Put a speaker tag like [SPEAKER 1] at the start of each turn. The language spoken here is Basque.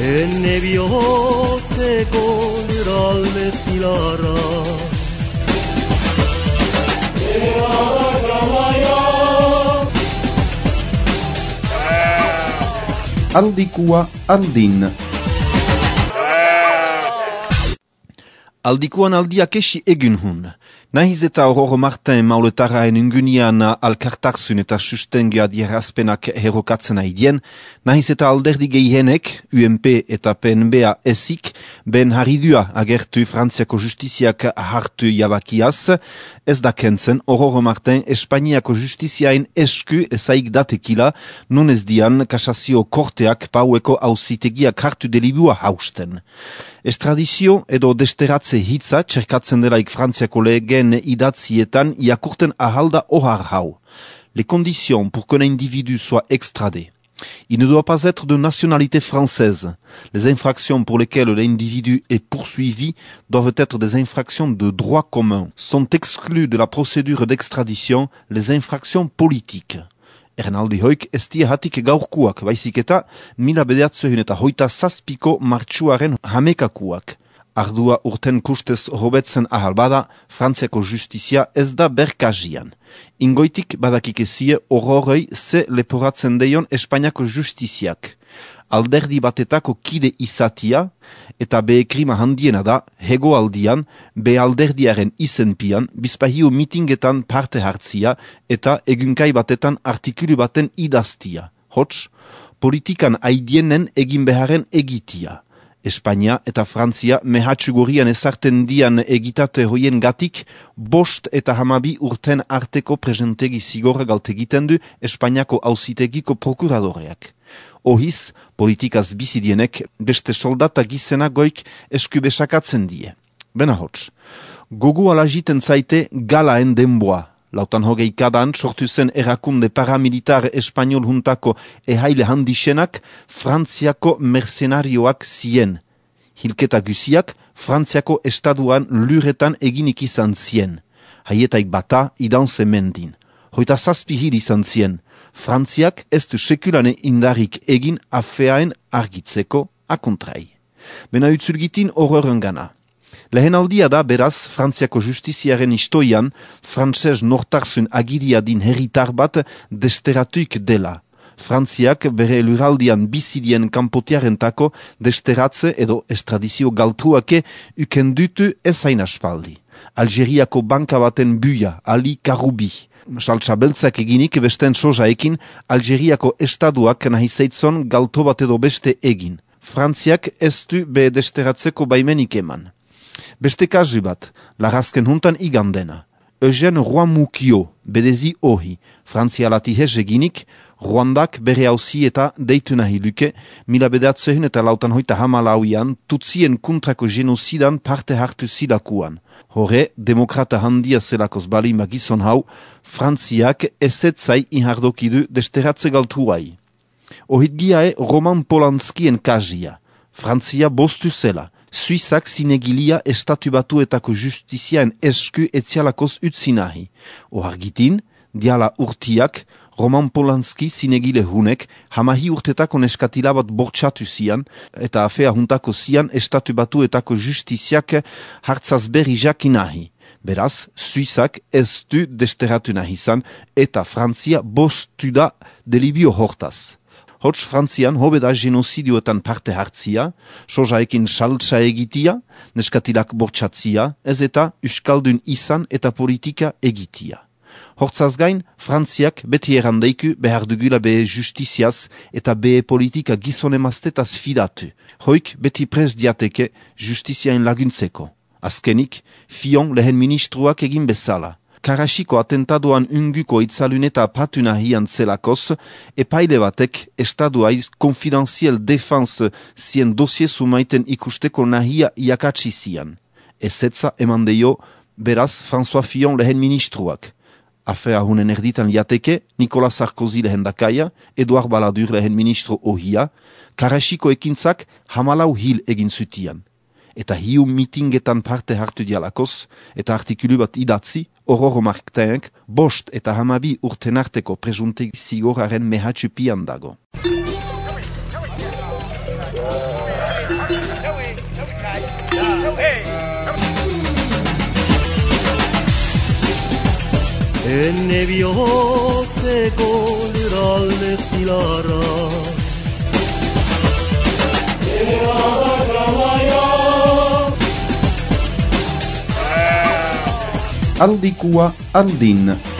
[SPEAKER 1] Enne bihotzeko lurralde zilarra
[SPEAKER 2] Aldikua aldin.
[SPEAKER 3] Aldikuan aldiak esi egun hun. Nahiz eta Aurore Martin mauletaraen ingunian alkartarzun eta sustengoa dierazpenak herrokatzen haidien, nahiz eta alderdi gehienek, UMP eta PNB-a esik, ben haridua agertu Frantziako justiziak hartu jabakiaz, ez da kentzen Aurore Martin Espainiako justiziaen esku ezaik datekila, nun ez dian kasazio korteak paueko auzitegiak hartu delibua hausten. Estradizio edo desteratze hitza txerkatzen delaik Frantziako legen idatzietan iakurten ahalda ohar hau. Les conditions pour qu'un individu soit extradé. Il ne doit pas être de nationalité française. Les infractions pour lesquelles l'individu est poursuivi doivent être des infractions de droit commun. Sont exclues de la procédure d'extradition les infractions politiques. Ernaldi hoik ez hatik gaurkuak, baizik eta 1927ko martxuaren hamekakuak. Ardua urten kustez hobetzen ahal bada, Frantziako justizia ez da berkazian. Ingoitik badakikezie horrorei ze leporatzen deion Espainiako justiziak. Alderdi batetako kide izatia, eta be krima handiena da, hegoaldian, be alderdiaren izenpian, bizpahiu mitingetan parte hartzia, eta egunkai batetan artikulu baten idaztia. Hots, politikan aidienen egin beharen egitia. Espainia eta Frantzia mehatxugorian ezarten dian egitate hoien gatik, 5 eta 12 urten arteko presentegi zigorra galtegiten du Espainiako auzitegiko prokuradoreak. Ohiz, politikaz bizidienek beste soldata gizena goik eskubesakatzen die. Bena hots, gogu alagiten zaite galaen denboa. Lautan hogei kadan sortu zen erakunde paramilitar espanol juntako ehaile handixenak Frantziako mercenarioak zien. Hilketa guziak Frantziako estaduan luretan eginik izan zien. Haietaik bata idan zemendin. 27 hil izan zien. Frantziak ez du sekulane indarik egin afeaen argitzeko akontrai. Bena utzulgitin horren gana. Lehen aldia da beraz Frantziako justiziaren istoian frantses nortarzun agiria din herritar bat desteratuik dela. Frantziak bere luraldian bizidien kanpotiarentako desteratze edo estradizio galtruake ukendutu ezain aspaldi. Algeriako banka baten buia, Ali Karoubi. Saltsa beltzak eginik besten sojaekin Algeriako estaduak nahi zeitzon galto bat edo beste egin. Frantziak ez du be desteratzeko baimenik eman. Beste kasu bat, larazken huntan igandena. Eugène Roy-Moukio, bedezi ohi, frantzialati eginik, Ruandak bere hauzi eta deitu nahi luke, 1958 tutsien kontrako genozidan parte hartu zilakuan. Hore, demokrata handia zelakoz balima gizon hau, Frantziak ezetzai inhardokidu desteratze galtuai. Ohit giae Roman Polanskien kazia. Frantzia bostu zela. Suizak zinegilia estatu batuetako justiziaen esku etzialakoz utzi nahi. Ohargitin, diala urtiak, Roman Polanski zinegile hunek hamahi urtetako neskatila bat bortxatu zian, eta afea juntako zian estatu batuetako justiziak hartzaz berri jaki nahi. Beraz, Suizak ez du desteratu nahi zan, eta Frantzia bostu da delibio hortaz. Hots Frantzian hobeda genozidioetan parte hartzia, sojaekin saltsa egitia, neskatilak bortxatzia, ez eta euskaldun izan eta politika egitia. Hortzaz gain, Frantziak beti errandeiku behar dugula behe justiziaz eta behe politika gizonemaztetaz fidatu. Hoik beti prez diateke justiziaen laguntzeko. Azkenik, Fillon lehen ministruak egin bezala. Karasiko atentadoan unguko itzaluneta patu nahian zelakoz, epaile batek estaduaiz konfidenziel defense zien dosie sumaiten ikusteko nahia iakatsi zian. Ezetza eman deio, beraz François Fillon lehen ministruak. Afea hunen erditan liateke, Nicolas Sarkozy lehen dakaia, Edouard Balladur lehen ministro ohia, Karasiko ekintzak hamalau hil egin zutian. eta hiu mitingetan parte hartu dialakoz, eta artikulu bat idatzi, Ororo Martinek 5 eta 12 urten arteko presunte zigoraren mehatxupian dago.
[SPEAKER 1] Enne bihotzeko lurralde zilarra
[SPEAKER 2] Aldikua andin.